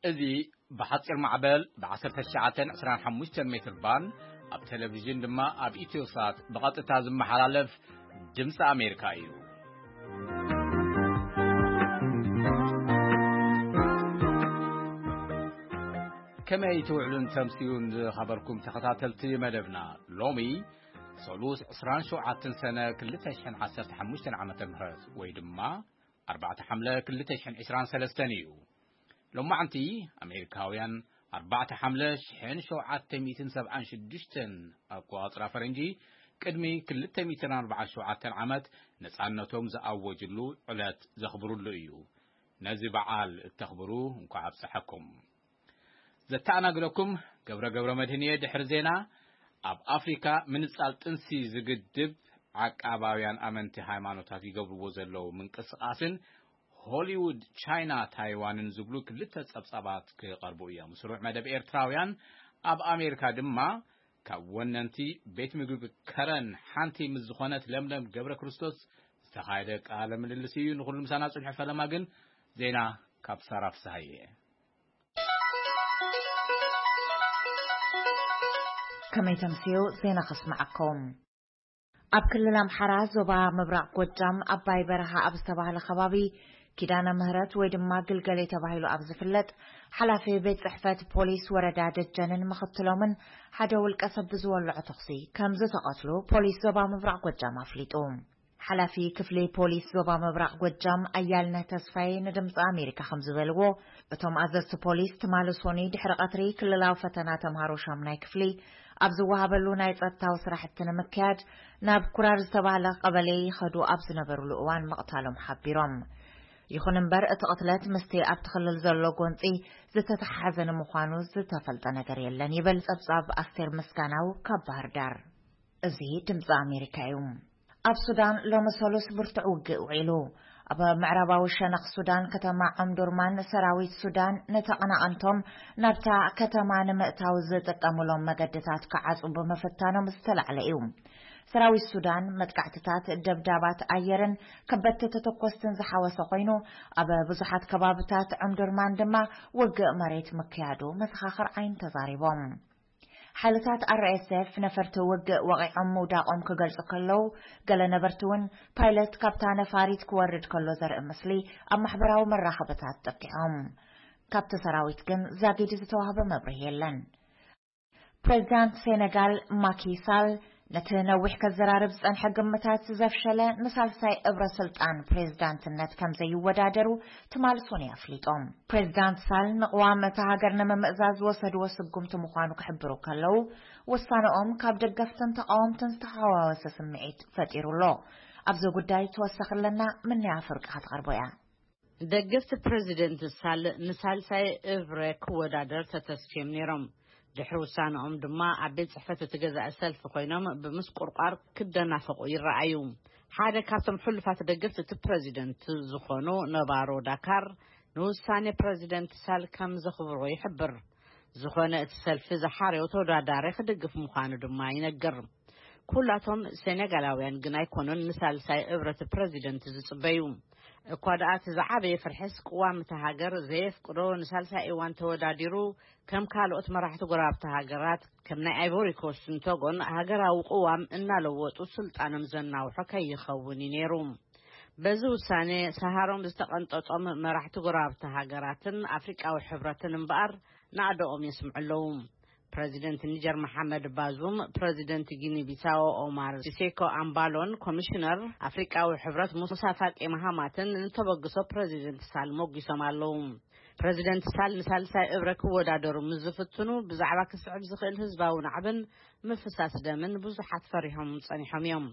እዚ ብሓጺር ማዕበል ብ19 25 ሜትር ባንድ፣ ኣብ ቴሌቪዥን ድማ ኣብ ኢትዮሳት ብቐጥታ ዝመሓላለፍ ድምፂ ኣሜሪካ እዩ። ከመይ ትውዕሉን ተምስዩን ዝኸበርኩም ተኸታተልቲ መደብና? ሎሚ ሰሉስ 27 ሰነ 2015 ዓመተ ምህረት ወይ ድማ 4 ሓምለ 2023 እዩ። ሎማዓንቲ ኣሜሪካውያን 4 ሓምለ 1776 ኣቆጻጽራ ፈረንጂ፣ ቅድሚ 247 ዓመት ነጻነቶም ዝኣወጅሉ ዕለት ዘኽብሩሉ እዩ። ነዚ በዓል እተኽብሩ እንኳዕ ኣብፀሐኩም። ዘተኣናግደኩም ገብረ ገብረ መድህን እየ። ድሕሪ ዜና፣ ኣብ ኣፍሪካ ምንጻል ጥንሲ ዝግድብ ዓቃባውያን ኣመንቲ ሃይማኖታት ይገብርዎ ዘለዉ ምንቅስቃስን ሆሊውድ ቻይና ታይዋንን ዝብሉ ክልተ ጸብጻባት ክቐርቡ እዮም። ስሩዕ መደብ ኤርትራውያን ኣብ ኣሜሪካ ድማ ካብ ወነንቲ ቤት ምግቢ ከረን ሓንቲ ምስ ዝኾነት ለምለም ገብረ ክርስቶስ ዝተኻየደ ቃለ ምልልስ እዩ። ንኹሉ ምሳና ጽንሑ። ፈለማ ግን ዜና ካብ ሳራ ፍስሃየ። ከመይ ተምስዩ? ዜና ከስምዓኩም። ኣብ ክልል ኣምሓራ ዞባ ምብራቕ ጎጃም ኣባይ በረኻ ኣብ ዝተባህለ ከባቢ ኪዳነ ምህረት ወይ ድማ ግልገሌ ተባሂሉ ኣብ ዝፍለጥ ሓላፊ ቤት ጽሕፈት ፖሊስ ወረዳ ደጀንን ምኽትሎምን ሓደ ውልቀ ሰብ ብዝወልዖ ተኹሲ ከም ዝተቐትሉ ፖሊስ ዞባ ምብራቕ ጎጃም ኣፍሊጡ። ሓላፊ ክፍሊ ፖሊስ ዞባ ምብራቕ ጎጃም ኣያልነህ ተስፋዬ ንድምፂ ኣሜሪካ ከም ዝበልዎ፣ እቶም ኣዘዝቲ ፖሊስ ትማሊ ሶኒ ድሕሪ ቀትሪ ክልላዊ ፈተና ተምሃሮ ሻምናይ ክፍሊ ኣብ ዝወሃበሉ ናይ ጸጥታዊ ስራሕቲ ንምክያድ ናብ ኩራር ዝተባህለ ቀበሌ ይኸዱ ኣብ ዝነበሩሉ እዋን ምቕታሎም ሓቢሮም። ይኹን እምበር እቲ ቅትለት ምስቲ ኣብቲ ክልል ዘሎ ጎንፂ ዝተተሓሓዘ ንምዃኑ ዝተፈልጠ ነገር የለን ይብል ጸብጻብ ኣስቴር ምስጋናው ካብ ባህር ዳር። እዚ ድምፂ ኣሜሪካ እዩ። ኣብ ሱዳን ሎሚ ሰሉስ ብርቱዕ ውግእ ውዒሉ። ኣብ ምዕራባዊ ሸነኽ ሱዳን ከተማ ዖምዱርማን ሰራዊት ሱዳን ንተቐናቐንቶም ናብታ ከተማ ንምእታው ዝጥቀሙሎም መገድታት ክዓጹ ብምፍታኖም ዝተላዕለ እዩ። ሰራዊት ሱዳን መጥቃዕትታት፣ ደብዳባት ኣየርን ከበድቲ ተተኮስትን ዝሓወሰ ኮይኑ፣ ኣብ ብዙሓት ከባብታት ዖምዱርማን ድማ ውግእ መሬት ምክያዱ መሰኻኽር ዓይኒ ተዛሪቦም። ሓይልታት ኣር ኤስ ኤፍ ነፈርቲ ውግእ ወቒዖም ምውዳቖም ክገልጹ ከለዉ፣ ገለ ነበርቲ እውን ፓይለት ካብታ ነፋሪት ክወርድ ከሎ ዘርኢ ምስሊ ኣብ ማሕበራዊ መራኸብታት ጠቂዖም። ካብቲ ሰራዊት ግን ዛጊድ ዝተዋህበ መብርሂ የለን። ፕሬዚዳንት ሴኔጋል ማኪ ሳል ነቲ ነዊሕ ከዘራርብ ዝጸንሐ ግምታት ዘፍሸለ ንሳልሳይ እብረ ስልጣን ፕሬዚዳንትነት ከም ዘይወዳደሩ ትማሊ ሶኒ ኣፍሊጦም። ፕሬዚዳንት ሳል ንቅዋም እታ ሃገር ንምምእዛዝ ዝወሰድዎ ስጉምቲ ምዃኑ ክሕብሩ ከለዉ፣ ውሳነኦም ካብ ደገፍትን ተቃወምትን ዝተሓዋወሰ ስምዒት ፈጢሩ ኣሎ። ኣብዚ ጉዳይ ተወሳኺ ኣለና፣ ምንያ ፍርቂ ክትቐርቦ እያ። ደገፍቲ ፕሬዚደንት ሳል ንሳልሳይ እብረ ክወዳደር ተተስፍዮም ነይሮም። ድሕሪ ውሳነኦም ድማ ኣብ ቤት ጽሕፈት እቲ ገዛኢ ሰልፊ ኮይኖም ብምስቁርቋር ክደናፈቑ ይረኣዩ። ሓደ ካብቶም ሕሉፋት ደገፍቲ እቲ ፕሬዚደንት ዝኾኑ ነባሮ ዳካር ንውሳኔ ፕሬዚደንት ሳል ከም ዘኽብሮ ይሕብር። ዝኾነ እቲ ሰልፊ ዝሓረዮ ተወዳዳሪ ክድግፍ ምዃኑ ድማ ይነግር። ኩላቶም ሴኔጋላውያን ግን ኣይኮኑን ንሳልሳይ እብረት ፕሬዚደንት ዝጽበዩ። እኳ ደኣ እቲ ዝዓበየ ፍርሕስ ቅዋም እታ ሃገር ዘየፍቅዶ ንሳልሳይ እዋን ተወዳዲሩ ከም ካልኦት መራሕቲ ጎረባብቲ ሃገራት ከም ናይ ኣይቮሪ ኮስትን ቶጎን ሃገራዊ ቅዋም እናለወጡ ስልጣኖም ዘናውሖ ከይኸውን እዩ ነይሩ። በዚ ውሳኔ ሰሃሮም ዝተቐንጠጦም መራሕቲ ጎረባብቲ ሃገራትን ኣፍሪቃዊ ሕብረትን እምበኣር ናዕደኦም የስምዑ ኣለዉ። ፕረዚደንት ኒጀር መሓመድ ባዙም፣ ፕረዚደንት ጊኒ ቢሳዎ ኦማር ሲሴኮ ኣምባሎን ኮሚሽነር ኣፍሪቃዊ ሕብረት ሙሳ ፋቂ መሃማትን ንተበግሶ ፕረዚደንት ሳል ሞጊሶም ኣለዉ። ፕረዚደንት ሳል ንሳልሳይ እብረ ክወዳደሩ ምስ ዝፍትኑ ብዛዕባ ክስዕብ ዝኽእል ህዝባዊ ናዕብን ምፍሳስ ደምን ብዙሓት ፈሪሖም ጸኒሖም እዮም።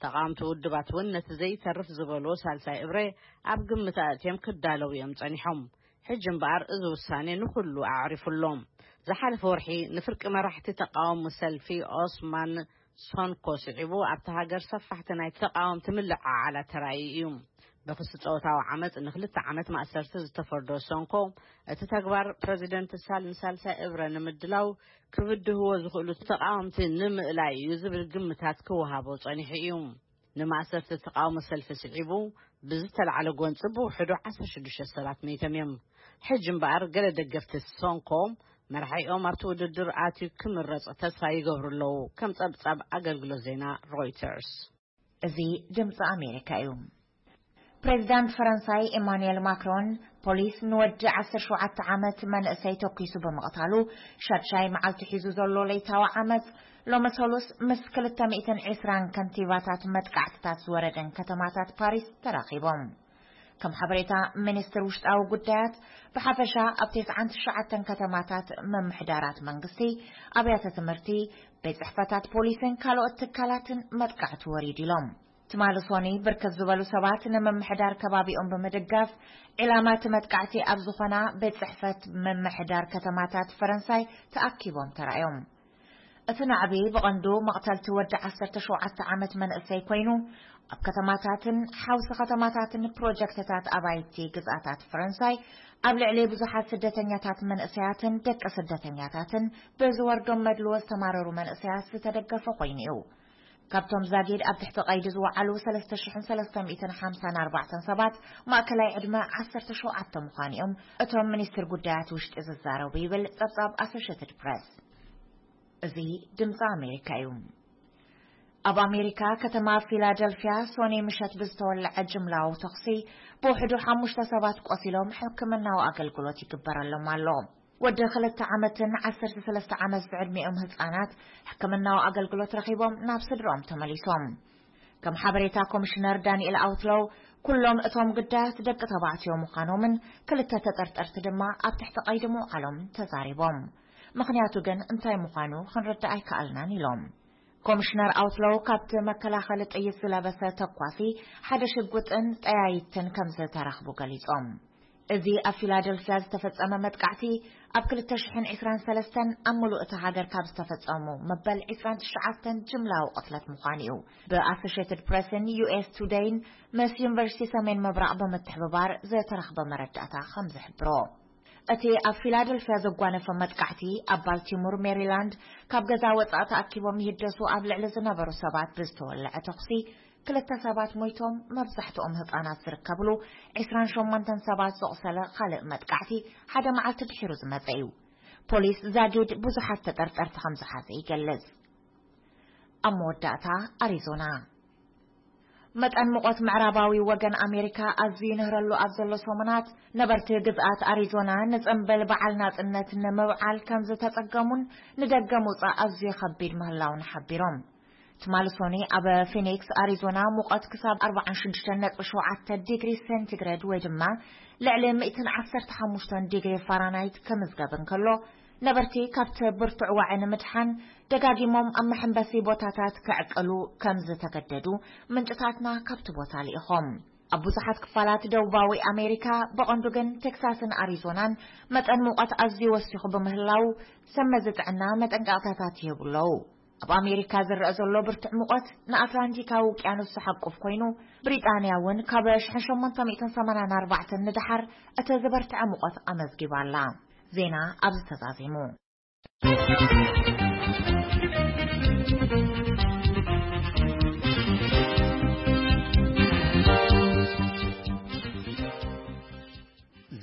ተቓወምቲ ውድባት እውን ነቲ ዘይተርፍ ዝበልዎ ሳልሳይ እብረ ኣብ ግምት ኣእትዮም ክዳለዉ እዮም ጸኒሖም። ሕጂ እምበኣር እዚ ውሳኔ ንኹሉ ኣዕሪፉ ኣሎ። ዝሓለፈ ወርሒ ንፍርቂ መራሕቲ ተቓውሞ ሰልፊ ኦስማን ሶንኮ ስዒቡ ኣብቲ ሃገር ሰፋሕቲ ናይ ተቓወምቲ ምልዕዓላት ተራእዩ እዩ። ብክሲ ጾታዊ ዓመጽ ንክልተ ዓመት ማእሰርቲ ዝተፈርዶ ሶንኮ፣ እቲ ተግባር ፕረዚደንት ሳል ንሳልሳይ እብረ ንምድላው ክብድህዎ ዝኽእሉ ተቓወምቲ ንምእላይ እዩ ዝብል ግምታት ክወሃቦ ጸኒሑ እዩ። ንማእሰርቲ ተቓውሞ ሰልፊ ስዒቡ ብዝተላዕለ ጎንጺ ብውሕዱ ዓሰርተ ሽዱሽተ ሰባት መይቶም እዮም። ሕጂ እምበኣር ገለ ደገፍቲ ሶንኮ መራሒኦም ኣብቲ ውድድር ኣትዩ ክምረጽ ተስፋ ይገብሩ ኣለዉ፣ ከም ጸብጻብ ኣገልግሎት ዜና ሮይተርስ። እዚ ድምፂ ኣሜሪካ እዩ። ፕሬዚዳንት ፈረንሳይ ኤማኑኤል ማክሮን ፖሊስ ንወዲ ዓሰርተ ሸውዓተ ዓመት መንእሰይ ተኲሱ ብምቕታሉ ሻድሻይ መዓልቲ ሒዙ ዘሎ ለይታዊ ዓመፅ ሎሚ ሰሉስ ምስ ክልተ ሚእትን ዕስራን ከንቲባታት መጥቃዕትታት ዝወረደን ከተማታት ፓሪስ ተራኺቦም። ከም ሓበሬታ ሚኒስትር ውሽጣዊ ጉዳያት፣ ብሓፈሻ ኣብ ተስዓን ትሽዓተን ከተማታት ምምሕዳራት መንግስቲ፣ ኣብያተ ትምህርቲ፣ ቤት ጽሕፈታት ፖሊስን ካልኦት ትካላትን መጥቃዕቲ ወሪዱ ኢሎም። ትማሊ ሶኒ ብርክት ዝበሉ ሰባት ንምምሕዳር ከባቢኦም ብምድጋፍ ዒላማ እቲ መጥቃዕቲ ኣብ ዝኾና ቤት ጽሕፈት ምምሕዳር ከተማታት ፈረንሳይ ተኣኪቦም ተራእዮም። እቲ ናዕቢ ብቐንዱ መቕተልቲ ወዲ ዓሰርተ ሸውዓተ ዓመት መንእሰይ ኮይኑ፣ ኣብ ከተማታትን ሓውሲ ከተማታትን ፕሮጀክትታት ኣባይቲ ግዝኣታት ፈረንሳይ ኣብ ልዕሊ ብዙሓት ስደተኛታት መንእሰያትን ደቂ ስደተኛታትን ብዝወርዶም መድልዎ ዝተማረሩ መንእሰያት ዝተደገፈ ኮይኑ እዩ። ካብቶም ዛጊድ ኣብ ትሕቲ ቀይዲ ዝወዓሉ ሰለስተ ሽሕን ሰለስተ ሚእትን ሓምሳን ኣርባዕተን ሰባት ማእከላይ ዕድመ ዓሰርተ ሸውዓተ ምዃኑ እዮም እቶም ሚኒስትር ጉዳያት ውሽጢ ዝዛረቡ ይብል ጸብጻብ ኣሶሽየትድ ፕረስ። እዚ ድምፂ ኣሜሪካ እዩ። ኣብ ኣሜሪካ ከተማ ፊላደልፊያ ሶኒ ምሸት ብዝተወለዐ ጅምላዊ ተኹሲ ብውሕዱ ሓሙሽተ ሰባት ቆሲሎም ሕክምናዊ ኣገልግሎት ይግበረሎም ኣሎ። ወዲ ክልተ ዓመትን ዓሰርተ ሰለስተ ዓመት ዝዕድሚኦም ህፃናት ሕክምናዊ ኣገልግሎት ረኺቦም ናብ ስድርኦም ተመሊሶም። ከም ሓበሬታ ኮሚሽነር ዳንኤል ኣውትሎው፣ ኩሎም እቶም ግዳያት ደቂ ተባዕትዮ ምዃኖምን ክልተ ተጠርጠርቲ ድማ ኣብ ትሕቲ ቀይዲ ምውዓሎም ተዛሪቦም። ምኽንያቱ ግን እንታይ ምዃኑ ክንርዳእ ኣይከኣልናን ኢሎም። ኮሚሽነር ኣውትሎው ካብቲ መከላኸሊ ጥይት ዝለበሰ ተኳሲ ሓደ ሽጉጥን ጠያይትን ከም ዝተረኽቡ ገሊጾም። እዚ ኣብ ፊላደልፊያ ዝተፈጸመ መጥቃዕቲ ኣብ ክልተ ሽሕን ዕስራን ሰለስተን ኣብ ምሉእ እታ ሃገር ካብ ዝተፈጸሙ መበል ዕስራን ትሽዓተን ጅምላዊ ቅትለት ምዃኑ እዩ ብኣሶሽየትድ ፕረስን ዩ ኤስ ቱደይን ምስ ዩኒቨርሲቲ ሰሜን ምብራቕ ብምትሕብባር ዝተረኽበ መረዳእታ ከም ዝሕብሮ። እቲ ኣብ ፊላደልፊያ ዘጓነፈ መጥቃዕቲ ኣብ ባልቲሞር ሜሪላንድ ካብ ገዛ ወጻኢ ተኣኪቦም ይህደሱ ኣብ ልዕሊ ዝነበሩ ሰባት ብዝተወለዐ ተኹሲ ክልተ ሰባት ሞይቶም፣ መብዛሕትኦም ህጻናት ዝርከብሉ ዕስራን ሸሞንተን ሰባት ዘቑሰለ ካልእ መጥቃዕቲ ሓደ መዓልቲ ድሒሩ ዝመጸ እዩ። ፖሊስ ዛጊድ ብዙሓት ተጠርጠርቲ ከም ዝሓዘ ይገልጽ። ኣብ መወዳእታ ኣሪዞና። መጠን ሙቐት ምዕራባዊ ወገን ኣሜሪካ ኣዝዩ ይንህረሉ ኣብ ዘሎ ሰሙናት፣ ነበርቲ ግዝኣት ኣሪዞና ንጽምብል በዓል ናጽነት ንምብዓል ከም ዝተጸገሙን ንደገ ምውጻእ ኣዝዩ ከቢድ ምህላውን ሓቢሮም። ትማሊ ሶኒ ኣብ ፊኒክስ ኣሪዞና ሙቐት ክሳብ ኣርባዓን ሽዱሽተን ነጥቢ ሸውዓተ ዲግሪ ሴንቲግሬድ ወይ ድማ ልዕሊ ሚእትን ዓሰርተ ሓሙሽተን ዲግሪ ፋራናይት ክምዝገብ እንከሎ፣ ነበርቲ ካብቲ ብርቱዕ ዋዒ ንምድሓን ደጋጊሞም ኣብ መሐንበሲ ቦታታት ክዕቅሉ ከም ዝተገደዱ ምንጭታትና ካብቲ ቦታ ልኢኾም። ኣብ ብዙሓት ክፋላት ደቡባዊ ኣሜሪካ፣ ብቐንዱ ግን ቴክሳስን ኣሪዞናን መጠን ሙቐት ኣዝዩ ወሲኹ ብምህላው፣ ሰብ መዚ ጥዕና መጠንቀቕታታት ይህቡ ኣለዉ። ኣብ ኣሜሪካ ዝረአ ዘሎ ብርቱዕ ሙቐት ንኣትላንቲካዊ ውቅያኖስ ዝሓቁፍ ኮይኑ፣ ብሪጣንያ እውን ካብ ሽሕን ሸሞንተ ሚእትን ሰማንያን ኣርባዕተን ንደሓር እቲ ዝበርትዐ ሙቐት ኣመዝጊባ ኣላ። ዜና ኣብዚ ተዛዚሙ።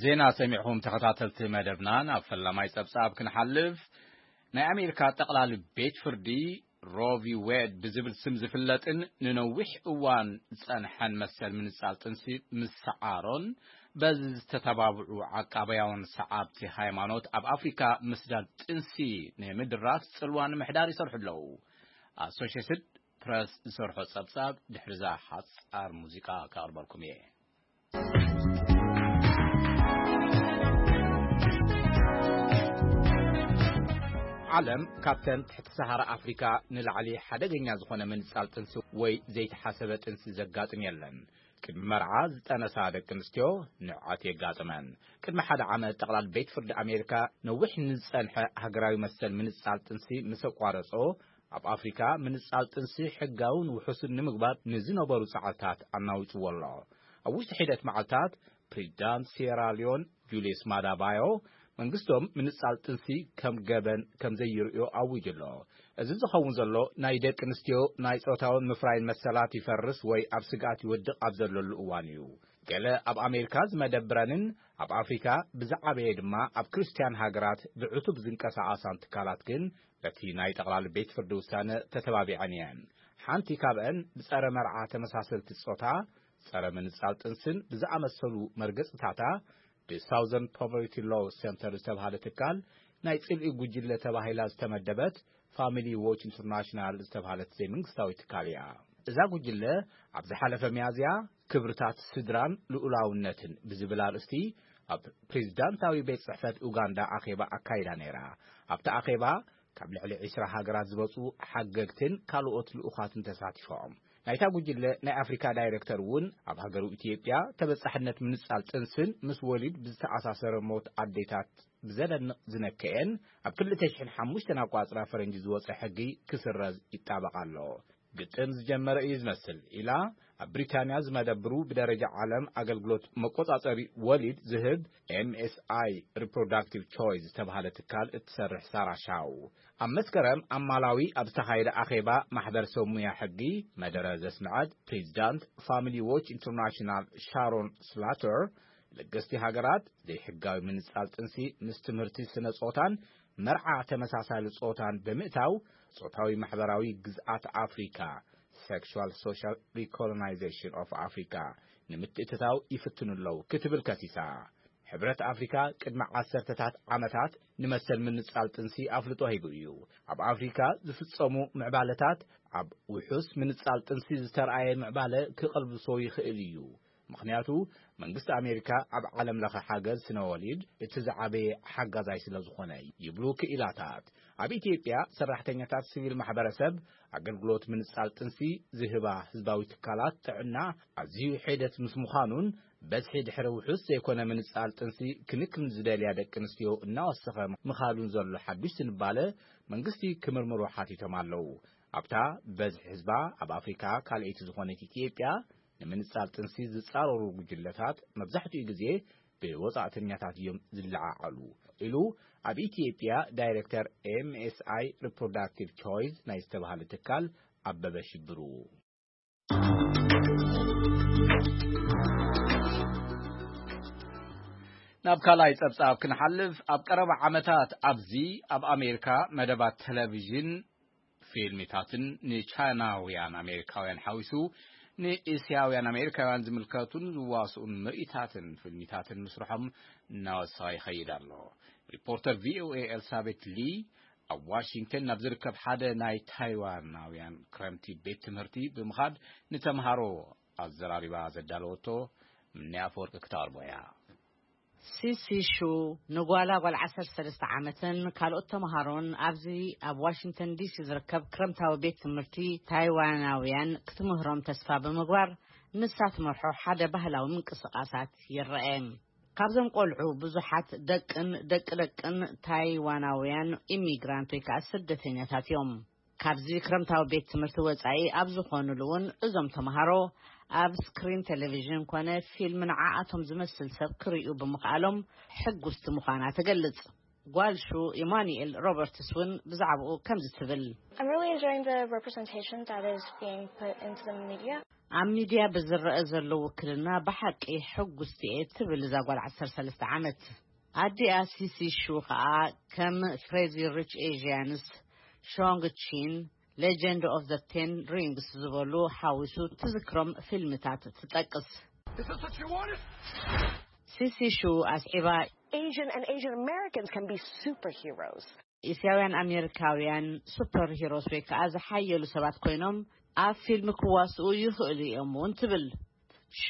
ዜና ሰሚዕኹም ተኸታተልቲ መደብና፣ ናብ ፈላማይ ጸብጻብ ክንሓልፍ። ናይ ኣሜሪካ ጠቕላሊ ቤት ፍርዲ ሮ ቪ ዌድ ብዝብል ስም ዝፍለጥን ንነዊሕ እዋን ዝጸንሐን መሰል ምንጻል ጥንሲ ምስዓሮን በዚ ዝተተባብዑ ዓቃባያውን ሰዓብቲ ሃይማኖት ኣብ ኣፍሪካ ምስዳድ ጥንሲ ንምድራት ጽልዋ ንምሕዳር ይሰርሑ ኣለዉ። ኣሶሽየትድ ፕረስ ዝሰርሖ ጸብጻብ ድሕሪዛ ሓጻር ሙዚቃ ከቕርበልኩም እየ። ዓለም ካብተን ትሕቲ ሰሃራ ኣፍሪካ ንላዕሊ ሓደገኛ ዝኾነ ምንጻል ጥንሲ ወይ ዘይተሓሰበ ጥንሲ ዘጋጥም የለን። ቅድሚ መርዓ ዝጠነሳ ደቂ ኣንስትዮ ንዕቀት የጋጥመን። ቅድሚ ሓደ ዓመት ጠቕላል ቤት ፍርዲ ኣሜሪካ ነዊሕ ንዝጸንሐ ሃገራዊ መሰል ምንጻል ጥንሲ ምስ ኣቋረጾ፣ ኣብ ኣፍሪካ ምንጻል ጥንሲ ሕጋውን ውሑስን ንምግባር ንዝነበሩ ጻዕርታት ኣናዊጽዎ ኣሎ። ኣብ ውሽጢ ሒደት መዓልታት ፕሬዚዳንት ሴራ ሊዮን ጁልየስ ማዳ ባዮ መንግስቶም ምንጻል ጥንሲ ከም ገበን ከም ዘይርእዮ ኣዊጁ ኣሎ። እዚ ዝኸውን ዘሎ ናይ ደቂ ኣንስትዮ ናይ ጾታውን ምፍራይን መሰላት ይፈርስ ወይ ኣብ ስግኣት ይወድቕ ኣብ ዘለሉ እዋን እዩ። ገለ ኣብ ኣሜሪካ ዝመደብረንን ኣብ ኣፍሪካ ብዝዓበየ ድማ ኣብ ክርስትያን ሃገራት ብዕቱብ ዝንቀሳቐሳን ትካላት ግን በቲ ናይ ጠቕላሊ ቤት ፍርዲ ውሳነ ተተባቢዐን እየን። ሓንቲ ካብአን ብጸረ መርዓ ተመሳሰልቲ ጾታ፣ ጸረ ምንጻል ጥንስን ብዝኣመሰሉ መርገጽታታ ብሳውዘርን ፖቨርቲ ሎው ሴንተር ዝተባህለ ትካል ናይ ጽልኢ ጉጅለ ተባሂላ ዝተመደበት ፋሚሊ ዎች ኢንተርናሽናል ዝተባህለት ዘይመንግስታዊ ትካል እያ። እዛ ጉጅለ ኣብ ዝሓለፈ ሚያዝያ ክብርታት ስድራን ልኡላውነትን ብዝብል ኣርእስቲ ኣብ ፕሬዚዳንታዊ ቤት ጽሕፈት ኡጋንዳ ኣኼባ ኣካይዳ ነይራ። ኣብቲ ኣኼባ ካብ ልዕሊ ዒስራ ሃገራት ዝመጹ ሓገግትን ካልኦት ልኡኻትን ተሳቲፎም። ናይታ ጉጅለ ናይ ኣፍሪካ ዳይሬክተር እውን ኣብ ሃገሩ ኢትዮጵያ ተበጻሕነት ምንጻል ጥንስን ምስ ወሊድ ብዝተኣሳሰረ ሞት ኣዴታት ብዘደንቕ ዝነከኤን ኣብ ክልተ ሽሕን ሓሙሽተን ኣቋጽራ ፈረንጂ ዝወጸ ሕጊ ክስረዝ ይጣበቕ ኣሎ። ግጥም ዝጀመረ እዩ ዝመስል ኢላ ኣብ ብሪታንያ ዝመደብሩ ብደረጃ ዓለም ኣገልግሎት መቆጻጸሪ ወሊድ ዝህብ ኤምኤስኣይ ሪፕሮዳክቲቭ ቾይስ ዝተባህለ ትካል እትሰርሕ ሳራ ሻው ኣብ መስከረም ኣብ ማላዊ ኣብ ዝተኻየደ ኣኼባ ማሕበረሰብ ሙያ ሕጊ መደረ ዘስምዐት ፕሬዚዳንት ፋሚሊ ዎች ኢንተርናሽናል ሻሮን ስላተር ለገስቲ ሃገራት ዘይሕጋዊ ምንጻል ጥንሲ ምስ ትምህርቲ ስነ ጾታን መርዓ ተመሳሳሊ ጾታን ብምእታው ጾታዊ ማሕበራዊ ግዝኣት ኣፍሪካ፣ sexual social recolonization of Africa፣ ንምትእትታው ይፍትኑ ኣለዉ ክትብል ከሲሳ። ሕብረት ኣፍሪካ ቅድሚ ዓሰርተታት ዓመታት ንመሰል ምንጻል ጥንሲ ኣፍልጦ ሂቡ እዩ። ኣብ ኣፍሪካ ዝፍጸሙ ምዕባለታት ኣብ ውሑስ ምንጻል ጥንሲ ዝተርኣየ ምዕባለ ክቐልብሶ ይኽእል እዩ። ምኽንያቱ መንግስቲ ኣሜሪካ ኣብ ዓለም ለኸ ሓገዝ ስነ ወሊድ እቲ ዝዓበየ ሓጋዛይ ስለ ዝኾነ ይብሉ ክኢላታት። ኣብ ኢትዮጵያ ሰራሕተኛታት ሲቪል ማሕበረሰብ ኣገልግሎት ምንጻል ጥንሲ ዝህባ ህዝባዊ ትካላት ጥዕና ኣዝዩ ሒደት ምስ ምዃኑን በዝሒ ድሕሪ ውሑስ ዘይኮነ ምንጻል ጥንሲ ክንክን ዝደልያ ደቂ ኣንስትዮ እናወሰኸ ምኻዱን ዘሎ ሓዱሽ ዝንባለ መንግስቲ ክምርምሮ ሓቲቶም ኣለዉ። ኣብታ በዝሒ ህዝባ ኣብ ኣፍሪካ ካልኣይቲ ዝኾነት ኢትዮጵያ ንምንጻል ጥንሲ ዝጻረሩ ጉጅለታት መብዛሕትኡ ግዜ ብወጻእተኛታት እዮም ዝለዓዓሉ ኢሉ ኣብ ኢትዮጵያ ዳይሬክተር ኤምኤስኣይ ሪፕሮዳክቲቭ ቾይስ ናይ ዝተባህለ ትካል ኣበበ ሽብሩ። ናብ ካልኣይ ጸብጻብ ክንሓልፍ፣ ኣብ ቀረባ ዓመታት ኣብዚ ኣብ ኣሜሪካ መደባት ቴሌቪዥን ፊልሚታትን ንቻይናውያን ኣሜሪካውያን ሓዊሱ ንእስያውያን ኣሜሪካውያን ዝምልከቱን ዝዋስኡን ምርኢታትን ፊልሚታትን ምስርሖም እናወሰኸ ይኸይድ ኣሎ። ሪፖርተር ቪኦኤ ኤልሳቤት ሊ ኣብ ዋሽንግተን ናብ ዝርከብ ሓደ ናይ ታይዋናውያን ክረምቲ ቤት ትምህርቲ ብምኻድ ንተምሃሮ ኣዘራሪባ ዘዳለወቶ ምንያ ኣፈወርቂ ክተቕርቦ እያ። ሲሲ ሹ ንጓላ ጓል ዓሰርተ ሰለስተ ዓመትን ካልኦት ተምሃሮን ኣብዚ ኣብ ዋሽንግተን ዲሲ ዝርከብ ክረምታዊ ቤት ትምህርቲ ታይዋናውያን ክትምህሮም ተስፋ ብምግባር ንሳ ትመርሖ ሓደ ባህላዊ ምንቅስቓሳት ይረአ። ካብዞም ቆልዑ ብዙሓት ደቅን ደቂ ደቅን ታይዋናውያን ኢሚግራንት ወይ ከዓ ስደተኛታት እዮም። ካብዚ ክረምታዊ ቤት ትምህርቲ ወጻኢ ኣብ ዝኾኑሉ እውን እዞም ተምሃሮ ኣብ ስክሪን ቴሌቪዥን ኮነ ፊልም ንዓኣቶም ዝመስል ሰብ ክርእዩ ብምኽኣሎም ሕጉስቲ ምዃና ትገልጽ። ጓል ሹ ኢማኑኤል ሮበርትስ እውን ብዛዕባኡ ከምዚ ትብል። I'm really enjoying the representation that is being put into the media. ኣብ ሚድያ ብዝረአ ዘሎ ውክልና ብሓቂ ሕጉስቲ እየ ትብል እዛ ጓል ዓሰርተ ሰለስተ ዓመት። ኣዲኣ ሲሲ ሹ ኸኣ ከም ክሬዚ ሪች ኤዥያንስ፣ ሾንግ ቺን፣ ሌጀንድ ኦፍ ዘ ቴን ሪንግስ ዝበሉ ሓዊሱ ትዝክሮም ፊልምታት ትጠቅስ። ሲሲ ሹ ኣስዒባ፣ Asian and Asian Americans can be superheroes. እስያውያን ኣሜሪካውያን ሱፐር ሂሮስ ወይ ከዓ ዝሓየሉ ሰባት ኮይኖም ኣብ ፊልም ክዋስኡ ይኽእሉ እዮም እውን ትብል። ሹ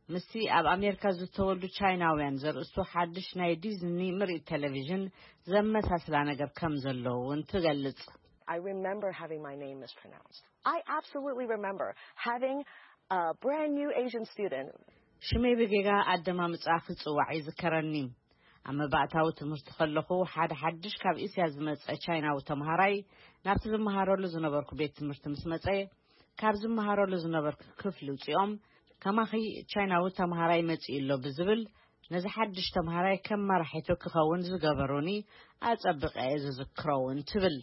ምስቲ ኣብ ኣሜሪካ ዝተወልዱ ቻይናውያን ዘርእስቱ ሓድሽ ናይ ዲዝኒ ምርኢት ቴሌቪዥን ዘመሳስላ ነገር ከም ዘሎ እውን ትገልጽ። I remember having my name mispronounced. I absolutely remember having a brand new Asian student. ሽመይ ብጌጋ ኣደማምጻ ክጽዋዕ ይዝከረኒ። ኣብ መባእታዊ ትምህርቲ ከለኹ ሓደ ሓድሽ ካብ እስያ ዝመጸ ቻይናዊ ተምሃራይ ናብቲ ዝመሃረሉ ዝነበርኩ ቤት ትምህርቲ ምስ መጸ ካብ ዝመሃረሉ ዝነበርኩ ክፍሊ ውጺኦም ከማኺ ቻይናዊ ተምሃራይ መጺኡ ኣሎ ብዝብል ነዚ ሓድሽ ተምሃራይ ከም መራሒቱ ክኸውን ዝገበሩኒ ኣጸብቐ እየ ዝዝክሮ እውን ትብል።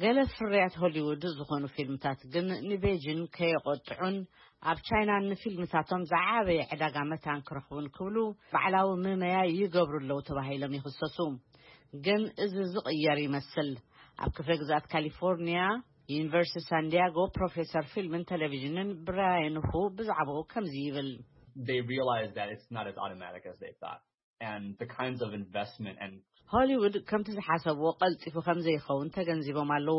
ገለ ፍርያት ሆሊውድ ዝኾኑ ፊልምታት ግን ንቤጂን ከየቖጥዑን ኣብ ቻይና ንፊልምታቶም ዝዓበየ ዕዳጋ መታን ክረኽቡን ክብሉ ባዕላዊ ምመያ ይገብሩ ኣለዉ ተባሂሎም ይኽሰሱ። ግን እዚ ዝቕየር ይመስል። ኣብ ክፍለ ግዝኣት ካሊፎርኒያ ዩኒቨርሲቲ ሳንዲያጎ ፕሮፌሰር ፊልምን ቴሌቪዥንን ብራያን ሁ ብዛዕባኡ ከምዚ ይብል። They realize that it's not as automatic as they thought. And the kinds of investment and ሆሊውድ ከምቲ ዝሓሰብዎ ቀልጢፉ ከም ዘይኸውን ተገንዚቦም ኣለዉ።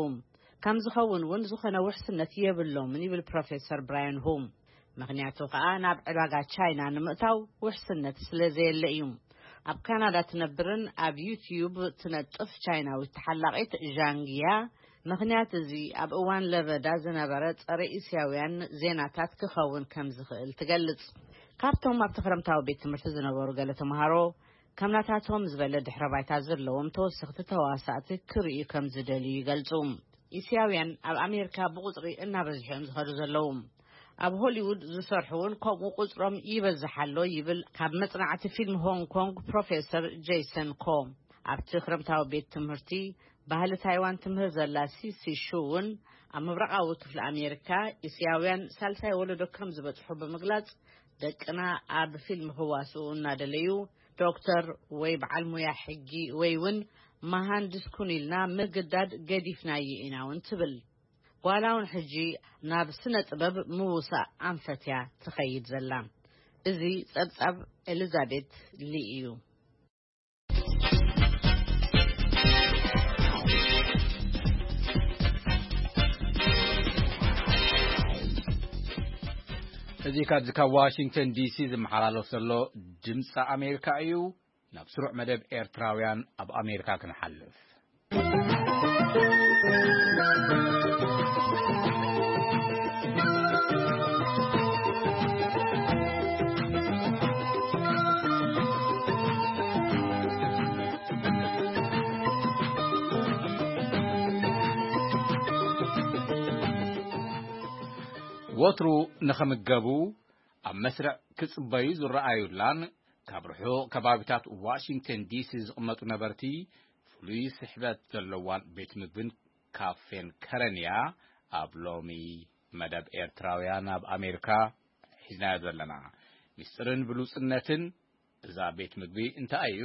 ከም ዝኸውን እውን ዝኾነ ውሕስነት የብሎምን ይብል ፕሮፌሰር ብራያን ሁ። ምኽንያቱ ከኣ ናብ ዕዳጋ ቻይና ንምእታው ውሕስነት ስለ ዘየለ እዩ። ኣብ ካናዳ ትነብርን ኣብ ዩትዩብ ትነጥፍ ቻይናዊት ተሓላቒት ዣንግያ፣ ምኽንያት እዚ ኣብ እዋን ለበዳ ዝነበረ ጸረ እስያውያን ዜናታት ክኸውን ከም ዝኽእል ትገልጽ። ካብቶም ኣብቲ ክረምታዊ ቤት ትምህርቲ ዝነበሩ ገለ ተምሃሮ፣ ከም ናታቶም ዝበለ ድሕረ ባይታ ዘለዎም ተወሰኽቲ ተዋሳእቲ ክርእዩ ከም ዝደልዩ ይገልጹ። እስያውያን ኣብ ኣሜሪካ ብቑጽሪ እናበዝሑ እዮም ዝኸዱ ዘለዉ። ኣብ ሆሊውድ ዝሰርሑ እውን ከምኡ ቁጽሮም ይበዝሕ ኣሎ ይብል ካብ መጽናዕቲ ፊልም ሆንግ ኮንግ ፕሮፌሰር ጄይሰን ኮ። ኣብቲ ክረምታዊ ቤት ትምህርቲ ባህሊ ታይዋን ትምህር ዘላ ሲሲ ሹ እውን ኣብ ምብራቓዊ ክፍሊ ኣሜሪካ እስያውያን ሳልሳይ ወለዶ ከም ዝበጽሑ ብምግላጽ፣ ደቅና ኣብ ፊልም ክዋስኡ እናደለዩ ዶክተር ወይ በዓል ሙያ ሕጊ ወይ እውን መሃንድስ ኩን ኢልና ምግዳድ ገዲፍናዮ ኢና እውን ትብል። ጓላ እውን ሕጂ ናብ ስነ ጥበብ ምውሳእ ኣንፈት እያ ትኸይድ ዘላ። እዚ ጸብጻብ ኤሊዛቤት ሊ እዩ። እዚ ካብዚ ካብ ዋሽንግተን ዲሲ ዝመሓላለፍ ዘሎ ድምፂ ኣሜሪካ እዩ። ናብ ስሩዕ መደብ ኤርትራውያን ኣብ ኣሜሪካ ክንሓልፍ። ወትሩ ንኸምገቡ ኣብ መስርዕ ክጽበዩ ዝረኣዩላን ካብ ርሑቕ ከባቢታት ዋሽንግተን ዲሲ ዝቕመጡ ነበርቲ ፍሉይ ስሕበት ዘለዋን ቤት ምግብን ካፌን ከረን እያ። ኣብ ሎሚ መደብ ኤርትራውያን ኣብ ኣሜሪካ ሒዝናዮ ዘለና። ሚስጥርን ብሉጽነትን እዛ ቤት ምግቢ እንታይ እዩ?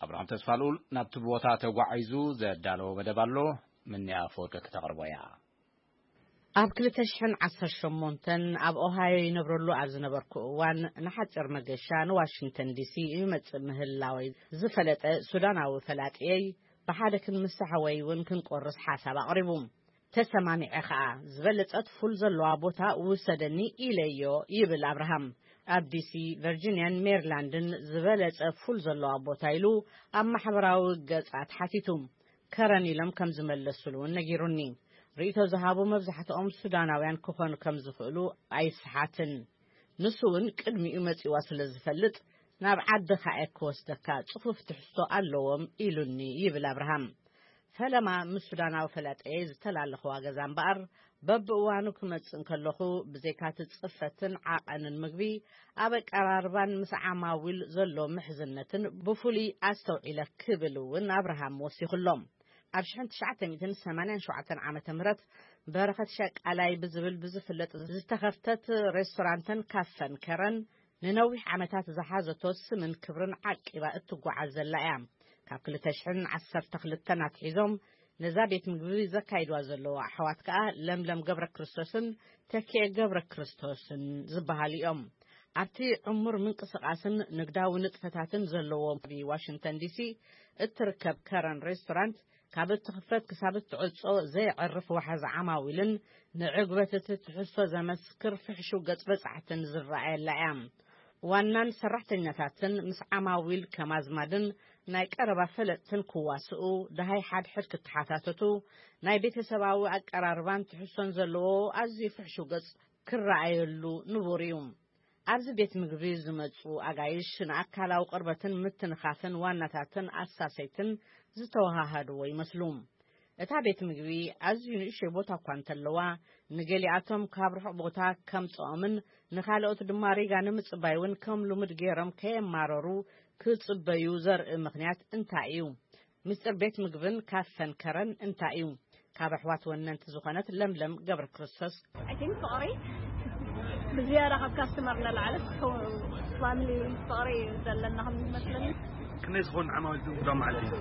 ኣብርሃም ተስፋልኡል ናብቲ ቦታ ተጓዒዙ ዘዳለዎ መደብ ኣሎ። ምንያ ኣፈወርቂ ክተቕርቦ እያ። ኣብ ክልተ ሽሕን ዓሰርተ ሸሞንተን ኣብ ኦሃዮ ይነብረሉ ኣብ ዝነበርኩ እዋን፣ ንሓጺር መገሻ ንዋሽንግተን ዲሲ ይመጽእ ምህላወይ ዝፈለጠ ሱዳናዊ ፈላጥየይ፣ ብሓደ ክንምሳሕ ወይ እውን ክንቆርስ ሓሳብ ኣቕሪቡ። ተሰማሚዐ ኸኣ፣ ዝበለጸት ፉል ዘለዋ ቦታ ውሰደኒ ኢለዮ ይብል ኣብርሃም። ኣብ ዲሲ፣ ቨርጂንያን ሜሪላንድን ዝበለጸ ፉል ዘለዋ ቦታ ኢሉ ኣብ ማሕበራዊ ገጻት ሓቲቱ። ከረን ኢሎም ከም ዝመለሱሉ እውን ነጊሩኒ። ርእይቶ ዝሃቡ መብዛሕትኦም ሱዳናውያን ክኾኑ ከም ዝኽእሉ ኣይስሓትን። ንሱ እውን ቅድሚኡ መጺዋ ስለ ዝፈልጥ፣ ናብ ዓድኻ እየ ክወስደካ፣ ጽፉፍ ትሕዝቶ ኣለዎም ኢሉኒ ይብል ኣብርሃም። ፈለማ ምስ ሱዳናዊ ፈላጠየ ዝተላለኽዋ ገዛ እምበኣር፣ በብእዋኑ ክመጽእ እንከለኹ፣ ብዘይካቲ ጽፈትን ዓቐንን ምግቢ፣ ኣብ ኣቀራርባን ምስ ዓማዊል ዘሎ ምሕዝነትን ብፍሉይ ኣስተውዒለ ክብል እውን ኣብርሃም ወሲኹሎም። ኣብ ሽሕን ትሽዓተ ሚእትን ሰማንያን ሸውዓተን ዓመተ ምህረት በረኸት ሸቃላይ ብዝብል ብዝፍለጥ ዝተኸፍተት ሬስቶራንትን ካፈን ከረን፣ ንነዊሕ ዓመታት ዝሓዘቶ ስምን ክብርን ዓቂባ እትጓዓዝ ዘላ እያ። ካብ ክልተ ሽሕን ዓሰርተ ክልተን ኣትሒዞም ነዛ ቤት ምግቢ ዘካይድዋ ዘለዉ ኣሕዋት ከኣ ለምለም ገብረ ክርስቶስን ተኪኤ ገብረ ክርስቶስን ዝበሃሉ እዮም። ኣብቲ ዕሙር ምንቅስቓስን ንግዳዊ ንጥፈታትን ዘለዎ ኣብ ዋሽንግተን ዲሲ እትርከብ ከረን ሬስቶራንት፣ ካብ እትኽፈት ክሳብ እትዕጾ ዘየዕርፍ ዋሕዚ ዓማዊልን ንዕግበት እቲ ትሕዝቶ ዘመስክር ፍሕሹው ገጽ በጻሕትን ዝረኣየላ እያ። ዋናን ሰራሕተኛታትን ምስ ዓማዊል ከም ኣዝማድን ናይ ቀረባ ፈለጥትን ክዋስኡ፣ ደሃይ ሓድሕድ ክተሓታተቱ፣ ናይ ቤተሰባዊ ኣቀራርባን ትሕዝቶን ዘለዎ ኣዝዩ ፍሕሹው ገጽ ክረኣየሉ ንቡር እዩ። ኣብዚ ቤት ምግቢ ዝመጹ ኣጋይሽ ንኣካላዊ ቅርበትን ምትንኻፍን ዋናታትን ኣሳሰይትን ዝተወሃሃድዎ ይመስሉ። እታ ቤት ምግቢ ኣዝዩ ንእሽቶይ ቦታ እኳ እንተለዋ፣ ንገሊኣቶም ካብ ርሑቕ ቦታ ከምጽኦምን ንኻልኦት ድማ ሪጋ ንምጽባይ እውን ከም ልሙድ ገይሮም ከየማረሩ ክጽበዩ ዘርኢ ምኽንያት እንታይ እዩ? ምስጢር ቤት ምግብን ካፈን ከረን እንታይ እዩ? ካብ ኣሕዋት ወነንቲ ዝኾነት ለምለም ገብረ ክርስቶስ። I think ፍቕሪ ብዝያዳ ካብ ካስተመር ንላዕሊ ፋሚሊ ፍቕሪ እዩ ዘለና ከም ዝመስለኒ። ክንደይ ዝኾኑ ዓማዊል ትምዝጋብ ማለት እዩ?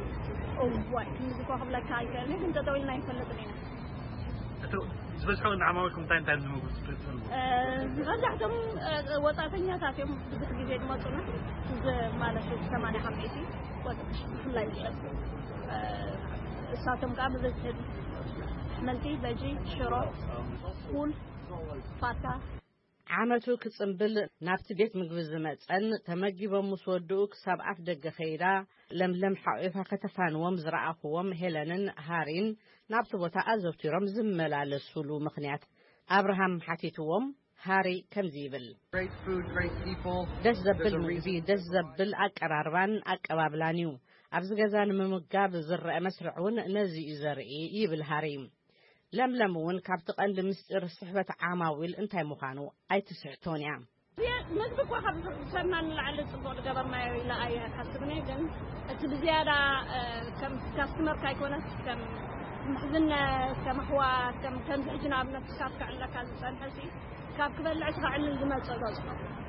እዋይ፣ ክንዲ እኮ ክብለካ ኣይክእልን፣ ግን ጠጠው ኢልና ኣይንፈልጥን ኢና። እቲ ዝበዝሑ ንዓማዊልኩም እንታይ እንታይ ዝምግቡ ትፈልጡ? እ፣ መብዛሕቶም፣ እ፣ ወጻእተኛታት እዮም ብዙሕ ግዜ ዝመጹና። እዚ ማለት ሰማንያ ካብ ሚእቲ ወጥ-፣ ብፍላይ ዝሸጡ፣ እ፣ እሳቶም ከዓ ብብዝሒ ኣሕምልቲ፣ በጂ፣ ሽሮ፣ ፉል፣ ፋታ። ዓመቱ ክጽንብል ናብቲ ቤት ምግቢ ዝመጸን ተመጊቦም ምስ ወድኡ ክሳብ ኣፍ ደገ ከይዳ ለምለም ሓቑፋ ከተፋንዎም ዝረኣኹዎም ሄለንን ሃሪን ናብቲ ቦታ ኣዘውቲሮም ዝመላለሱሉ ምኽንያት ኣብርሃም ሓቲትዎም። ሃሪ ከምዚ ይብል። Great food, great people. ደስ ዘብል There's a ምግቢ፣ reason ደስ ዘብል ኣቀራርባን ኣቀባብላን እዩ። ኣብዚ ገዛ ንምምጋብ ዝረአ መስርዕ እውን ነዚ እዩ ዘርኢ ይብል ሃሪ። ለምለም እውን ካብቲ ቀንዲ ምስጢር ስሕበት ዓማዊል እንታይ ምዃኑ ኣይትስሕቶን እያ። መግቢ እኳ ካብ ሰብና ንላዕሊ ጽቡቕ ዝገበርናዮ ኢለ ኣይሓስብን እየ፣ ግን እቲ ብዝያዳ፣ እ፣ ከም ካስተመር ካይኮነስ ከም ምሕዝነት፣ ከም ኣሕዋት፣ ከም፣ ከምዚ ሕጂ ንኣብነት ክሳብ ከዕልለካ ዝጸንሐ ሲ ካብ ክበልዕ እቲ ከዕልል ዝመጽእ ገጽ።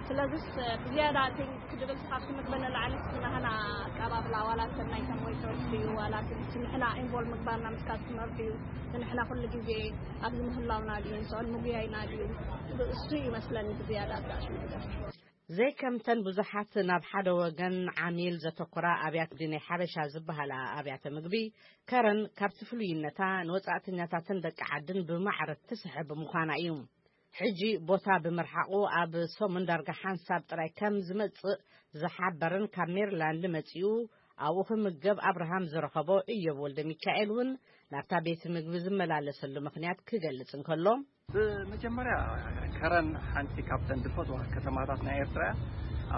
ስለዚስ፣ እ፣ ብዝያዳ እቲ ክድብል ካብቲ ምግቢ ንላዕሊ ናህና ኣቀባብላ ዋላ እተን ናይቶም ዌይተርስ ድዩ ዋላ እቲ ንሕና ኢንቮልቭ ምግባርና ምስ ካስተመር ድዩ፣ ንሕና ኩሉ ግዜ ኣብዚ ምህላውና ድዩ፣ ንስኦን ምጉያይና ድዩ፣ እሱ ይመስለኒ ብዝያዳ ኣጋሽ ነገር። ዘይከምተን ብዙሓት ናብ ሓደ ወገን ዓሚል ዘተኮራ ኣብያተ ምግቢ ናይ ሓበሻ ዝበሃላ ኣብያተ ምግቢ፣ ከረን ካብቲ ፍሉይነታ ንወጻእተኛታትን ደቂ ዓድን ብማዕረ ትስሕብ ምዃና እዩ። ሕጂ ቦታ ብምርሓቑ ኣብ ሰሙን ዳርጋ ሓንሳብ ጥራይ ከም ዝመጽእ ዝሓበረን ካብ ሜሪላንድ መጺኡ ኣብኡ ክምገብ ኣብርሃም ዝረኸቦ እዮብ ወልደ ሚካኤል እውን ናብታ ቤት ምግቢ ዝመላለሰሉ ምኽንያት ክገልጽ እንከሎ፣ ብመጀመርያ ከረን ሓንቲ ካብተን ዝፈትዋ ከተማታት ናይ ኤርትራ እያ።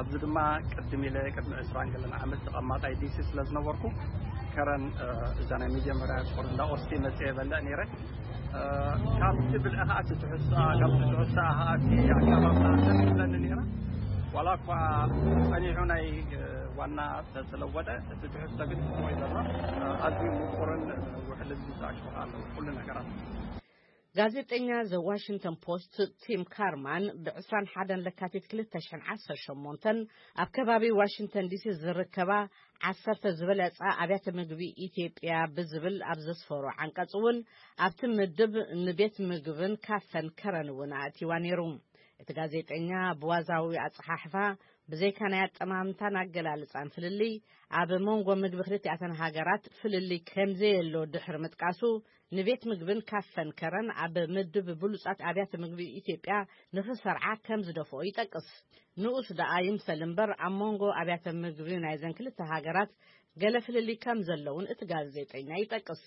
ኣብዚ ድማ ቅድም ኢለ ቅድሚ ዕስራን ገለን ዓመት ተቐማጣይ ዲሲ ስለ ዝነበርኩ ከረን፣ እ፣ እዛ ናይ መጀመርያ ቁር እንዳ ኦስቲ መጽየ በልዕ ነይረ። እ፣ ካብቲ ብልዒ ከኣ እቲ ትሕዝቶኣ፣ ካብቲ ትሕዝቶኣ ከኣ እቲ ኣቀራርባ ደስ ይብለኒ ነይራ። ዋላ እኳ ጸኒሑ ናይ፣ እ፣ ዋና ተተለወጠ፣ እቲ ትሕዝቶ ግን ጽቡቕ እዩ ዘሎ። እ፣ ኣዝዩ ምቁርን፣ እ፣ ውሕልን ዝኣሽወኻ ኣለዉ ኩሉ ነገራት። ጋዜጠኛ ዘ ዋሽንግተን ፖስት ቲም ካርማን ብ ዕስራን ሓደን ለካቲት ክልተ ሽሕን ዓሰርተ ሸሞንተን ኣብ ከባቢ ዋሽንግተን ዲሲ ዝርከባ ዓሰርተ ዝበለጻ ኣብያተ ምግቢ ኢትዮጵያ ብዝብል ኣብ ዘስፈሮ ዓንቀጽ እውን ኣብቲ ምድብ ንቤት ምግብን ካፈን ከረን እውን ኣእቲዋ ነይሩ። እቲ ጋዜጠኛ ብዋዛዊ ኣጸሓሕፋ ብዘይካ ናይ ኣጠማምታን ኣገላልጻን ፍልልይ ኣብ መንጎ ምግቢ ክልቲኣተን ሃገራት ፍልልይ ከምዘየሎ ድሕሪ ምጥቃሱ ንቤት ምግብን ካፈን ከረን ኣብ ምድብ ብሉጻት ኣብያተ ምግቢ ኢትዮጵያ ንኽሰርዓ ከም ዝደፍኦ ይጠቅስ። ንኡስ ደኣ ይምሰል እምበር ኣብ መንጎ ኣብያተ ምግቢ ናይዘን ክልተ ሃገራት ገለ ፍልልይ ከም ዘለውን እቲ ጋዜጠኛ ይጠቅስ።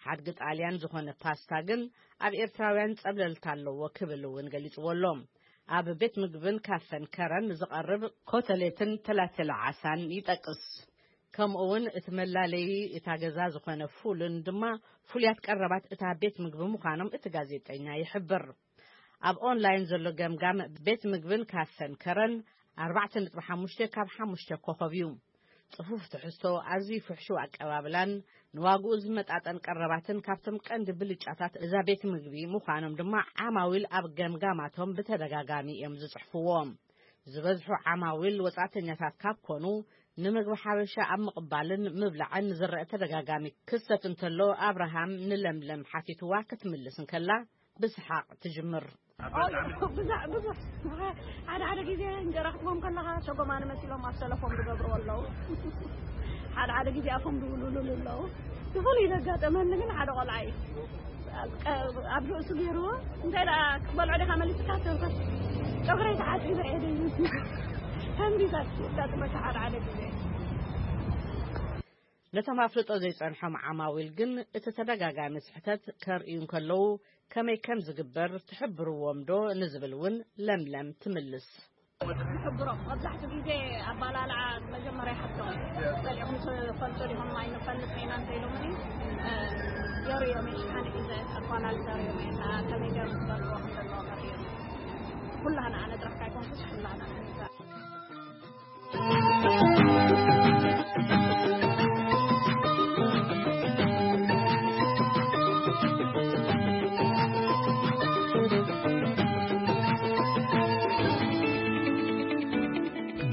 ሓድጊ ጣልያን ዝኾነ ፓስታ ግን ኣብ ኤርትራውያን ጸብለልታ ኣለዎ ክብል እውን ገሊጽዎ ኣሎ። ኣብ ቤት ምግብን ካፈን ከረን ዝቐርብ ኮተሌትን ተላተለ ዓሳን ይጠቅስ። ከምኡ እውን እቲ መላለዪ እታ ገዛ ዝኾነ ፉልን ድማ ፍሉያት ቀረባት እታ ቤት ምግቢ ምዃኖም እቲ ጋዜጠኛ ይሕብር። ኣብ ኦንላይን ዘሎ ገምጋም ቤት ምግብን ካፈን ከረን ኣርባዕተ ነጥቢ ሓሙሽተ ካብ ሓሙሽተ ኮኸብ እዩ። ጽፉፍ ትሕዝቶ፣ ኣዝዩ ፍሕሹው ኣቀባብላን ንዋግኡ ዝመጣጠን ቀረባትን ካብቶም ቀንዲ ብልጫታት እዛ ቤት ምግቢ ምዃኖም ድማ ዓማዊል ኣብ ገምጋማቶም ብተደጋጋሚ እዮም ዝጽሕፍዎ። ዝበዝሑ ዓማዊል ወጻእተኛታት ካብ ኮኑ፣ ንምግቢ ሓበሻ ኣብ ምቕባልን ምብላዕን ዝረአ ተደጋጋሚ ክስተት እንተሎ፣ ኣብርሃም ንለምለም ሓቲትዋ ክትምልስ እንከላ፣ ብስሓቕ ትጅምር። ኣይ፣ ብዙሕ፣ ብዙሕ። ሓደ ሓደ ግዜ እንጀራ ክትቦም ከለኻ ሸጎማኒ መሲሎም ኣብ ሰለፎም ዝገብርዎ ኣለዉ። ሓደ ሓደ ግዜ ኣፎም ዝውልሉሉ ኣለዉ። እቲ ፍሉይ ዘጋጠመኒ ግን ሓደ ቆልዓ እዩ። ኣብ ቀ-፣ ኣብ ርእሱ ገይርዎ፣ "እንታይ ደኣ ክትበልዖ ዲኻ መሊስካ?" ተልኮስ፣ "ጨጉረይ ተሓጺበ እየ" ደይብሉ። ከምዚ ዘጋጥመካ ሓደ ሓደ ግዜ። ነቶም ኣፍልጦ ዘይጸንሖም ዓማዊል ግን እቲ ተደጋጋሚ ስሕተት ከርእዩ እንከለዉ ከመይ ከም ዝግበር ትሕብርዎም ዶ ንዝብል እውን ለምለም ትምልስ። ንሕብሮም መብዛሕትኡ ግዜ ኣባላልዓ መጀመርያ ይሓቶም። ጸሊኹም ትፈልጡ ዲኹም? ኣይንፈልጥ ኢና እንተ ኢሎምኒ፣ እ፣ የርእዮም፣ ሽሓነ ሒዘ ኣባላልዓ የርእዮም፣ ከመይ ገይሮም ክበልዕዎ ከም ዘለዎም የርእዮም። ኩላህና፣ ኣነ ጥራሕ ካይኮንኩስ ኩላህና።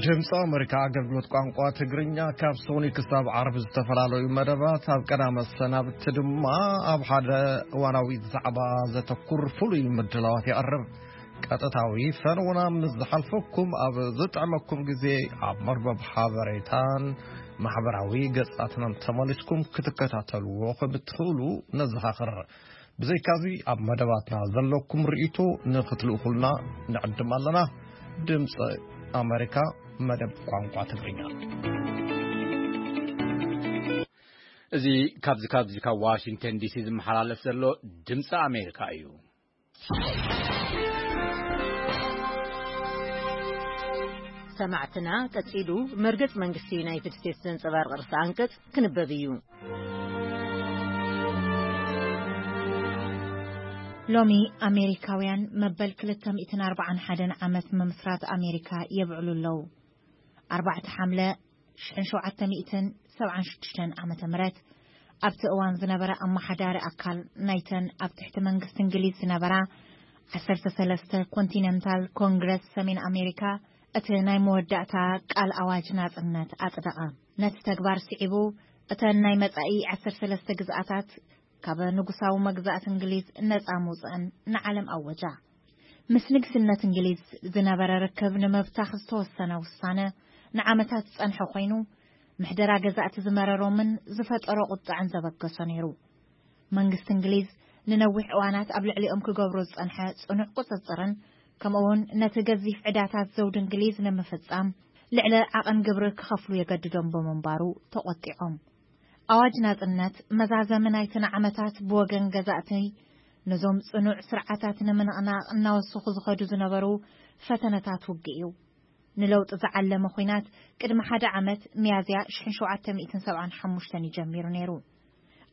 ድምፂ ኣሜሪካ ኣገልግሎት ቋንቋ ትግርኛ ካብ ሶኒ ክሳብ ዓርቢ ዝተፈላለዩ መደባት፣ ኣብ ቀዳመ ሰናብቲ ድማ ኣብ ሓደ እዋናዊ ዛዕባ ዘተኩር ፍሉይ ምድላዋት የቕርብ። ቀጥታዊ ፈነውና ምስ ዝሓልፈኩም፣ ኣብ ዝጥዕመኩም ግዜ ኣብ መርበብ ሓበሬታን ማሕበራዊ ገጻትናን ተመሊስኩም ክትከታተልዎ ከም እትኽእሉ ነዘኻኽር። ብዘይካዚ ኣብ መደባትና ዘለኩም ርእይቶ ንኽትልእኹልና ንዕድም ኣለና። ድምፂ ኣሜሪካ፣ መደብ ቋንቋ ትግርኛ። እዚ ካብዚ ካብዚ ካብ ዋሽንግተን ዲሲ ዝመሓላለፍ ዘሎ ድምፂ ኣሜሪካ እዩ። ሰማዕትና፣ ቀጺሉ መርገጽ መንግስቲ ዩናይትድ ስቴትስ ዘንጸባርቕ ርእሰ ኣንቀጽ ክንበብ እዩ። ሎሚ ኣሜሪካውያን መበል ክልተ ሚእትን ኣርባዓን ሓደን ዓመት ምምስራት ኣሜሪካ የብዕሉ ኣለዉ። ኣርባዕተ ሓምለ ሽሕን ሸውዓተ ሚእትን ሰብዓን ሽዱሽተን ዓመተ ምህረት፣ ኣብቲ እዋን ዝነበረ ኣመሓዳሪ ኣካል ናይተን ኣብ ትሕቲ መንግስቲ እንግሊዝ ዝነበራ ዓሰርተ ሰለስተ ኮንቲነንታል ኮንግረስ ሰሜን ኣሜሪካ፣ እቲ ናይ መወዳእታ ቃል ኣዋጅ ናጽነት ኣጽደቐ። ነቲ ተግባር ስዒቡ፣ እተን ናይ መጻኢ ዓሰርተ ሰለስተ ግዝኣታት ካብ ንጉሳዊ መግዛእቲ እንግሊዝ ነጻ ምውጽእን ንዓለም ኣወጃ። ምስ ንግስነት እንግሊዝ ዝነበረ ርክብ ንምብታኽ ዝተወሰነ ውሳነ ንዓመታት ዝጸንሐ ኮይኑ፣ ምሕደራ ገዛእቲ ዝመረሮምን ዝፈጠሮ ቁጥዐን ዘበገሶ ነይሩ። መንግስቲ እንግሊዝ ንነዊሕ እዋናት ኣብ ልዕሊኦም ክገብሮ ዝጸንሐ ጽኑዕ ቁጽጽርን፣ ከምኡውን ነቲ ገዚፍ ዕዳታት ዘውዲ እንግሊዝ ንምፍጻም ልዕሊ ዓቐን ግብሪ ክኸፍሉ የገድዶም ብምንባሩ ተቖጢዖም። ኣዋጅ ናጽነት መዛዘሚ ናይተን ዓመታት ብወገን ገዛእቲ ነዞም ጽኑዕ ስርዓታት ንምንቕናቕ እናወሰኹ ዝኸዱ ዝነበሩ ፈተነታት ውግእ እዩ። ንለውጢ ዝዓለመ ኹናት ቅድሚ ሓደ ዓመት፣ ሚያዝያ ሽሕን ሸውዓተ ሚእትን ሰብዓን ሓሙሽተን እዩ ጀሚሩ ነይሩ።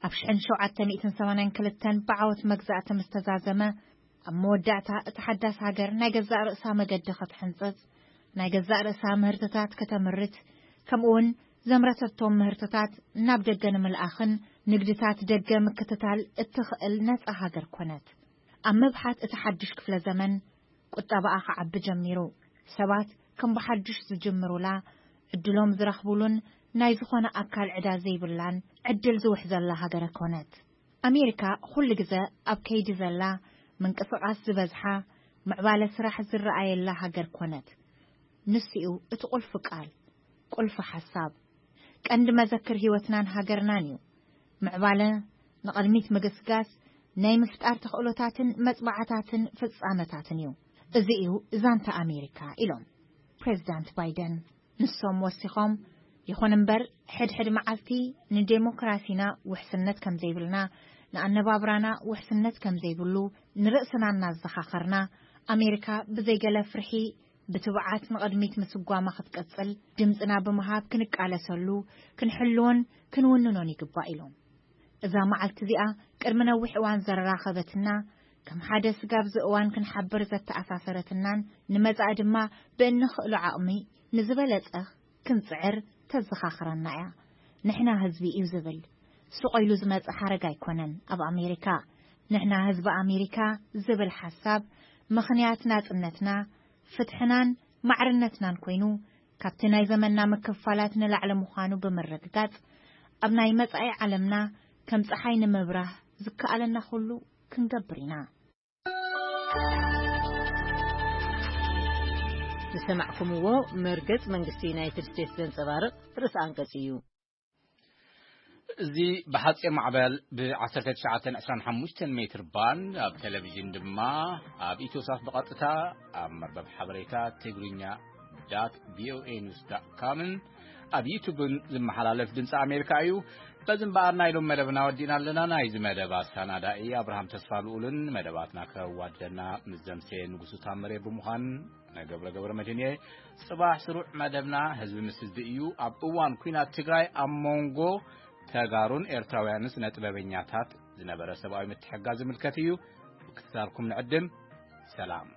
ኣብ ሽሕን ሸውዓተ ሚእትን ሰማንያን ክልተን ብዓወት መግዛእቲ ምስ ተዛዘመ፣ ኣብ መወዳእታ እታ ሓዳስ ሃገር ናይ ገዛእ ርእሳ መገዲ ክትሕንጽጽ፣ ናይ ገዛእ ርእሳ ምህርትታት ከተምርት፣ ከምኡውን ዘምረተቶም ምህርትታት ናብ ደገ ንምልኣኽን ንግድታት ደገ ምክትታል እትኽእል ነጻ ሃገር ኮነት። ኣብ ምብሓት እቲ ሓድሽ ክፍለ ዘመን፣ ቁጠባኣ ክዓቢ ጀሚሩ። ሰባት ከም ብሓድሽ ዝጅምሩላ፣ ዕድሎም ዝረኽቡሉን ናይ ዝኾነ ኣካል ዕዳ ዘይብላን ዕድል ዝውሕዘላ ሃገር ኮነት። ኣሜሪካ ኩሉ ግዘ ኣብ ከይዲ ዘላ፣ ምንቅስቓስ ዝበዝሓ፣ ምዕባለ ስራሕ ዝረኣየላ ሃገር ኮነት። ንሱ እዩ እቲ ቁልፊ ቃል፣ ቁልፊ ሓሳብ። ቀንዲ መዘክር ህይወትናን ሃገርናን እዩ። ምዕባለ፣ ንቕድሚት ምግስጋስ፣ ናይ ምፍጣር ተኽእሎታትን መጽባዕታትን ፍጻመታትን እዩ። እዚ እዩ ዛንታ ኣሜሪካ፣ ኢሎም ፕሬዚዳንት ባይደን። ንሶም ወሲኾም፣ ይኹን እምበር፣ ሕድሕድ መዓልቲ ንዴሞክራሲና ውሕስነት ከም ዘይብልና፣ ንኣነባብራና ውሕስነት ከም ዘይብሉ ንርእስና እናዘኻኸርና፣ ኣሜሪካ ብዘይገለ ፍርሒ ብትብዓት ንቕድሚት ምስጓማ ክትቀጽል ድምጽና ብምሃብ ክንቃለሰሉ፣ ክንሕልዎን ክንውንኖን ይግባእ፣ ኢሎም። እዛ መዓልቲ እዚኣ ቅድሚ ነዊሕ እዋን ዘራኸበትና፣ ከም ሓደ ስጋብ እዚ እዋን ክንሓብር ዘተኣሳሰረትናን ንመጻኢ ድማ ብእንኽእሎ ዓቕሚ ንዝበለጸ ክንጽዕር ተዘኻኽረና እያ። ንሕና ህዝቢ እዩ ዝብል ስቕ ኢሉ ዝመጽእ ሓረግ ኣይኮነን። ኣብ ኣሜሪካ፣ ንሕና ህዝቢ ኣሜሪካ ዝብል ሓሳብ፣ ምኽንያት ናጽነትና፣ ፍትሕናን ማዕርነትናን ኮይኑ፣ ካብቲ ናይ ዘመንና ምክፍፋላት ንላዕሊ ምዃኑ ብምርግጋጽ፣ ኣብ ናይ መጻኢ ዓለምና ከም ጸሓይ ንምብራህ ዝከኣለና ኩሉ ክንገብር ኢና። ዝሰማዕኩምዎ መርገጽ መንግስቲ ዩናይትድ ስቴትስ ዘንጸባርቕ ርእሰ ኣንቀጽ እዩ። እዚ ብሓጺር ማዕበል ብ ዓሰርተ ትሽዓተ ዕስራን ሓሙሽተን ሜትር ባንድ፣ ኣብ ቴሌቪዥን ድማ ኣብ ኢትዮሳት ብቐጥታ፣ ኣብ መርበብ ሓበሬታ ትግርኛ ዳት ቪኦኤ ኒውስ ዳት ካምን ኣብ ዩቱብን ዝመሓላለፍ ድምፂ ኣሜሪካ እዩ። በዚ እምበኣር ናይ ሎም መደብና ወዲእና ኣለና። ናይዚ መደብ ኣሰናዳኢ ኣብርሃም ተስፋ ልኡልን መደባትና ከዋድደና ምስ ዘምሰየ ንጉሱ ታምሬ ብምዃን፣ ነገብረ ገብረ መድህን እየ። ጽባሕ ስሩዕ መደብና ህዝቢ ምስ ህዝቢ እዩ። ኣብ እዋን ኲናት ትግራይ ኣብ መንጎ ተጋሩን ኤርትራውያንን ስነ ጥበበኛታት ዝነበረ ሰብኣዊ ምትሕግጋዝ ዝምልከት እዩ። ምክትታልኩም ንዕድም። ሰላም።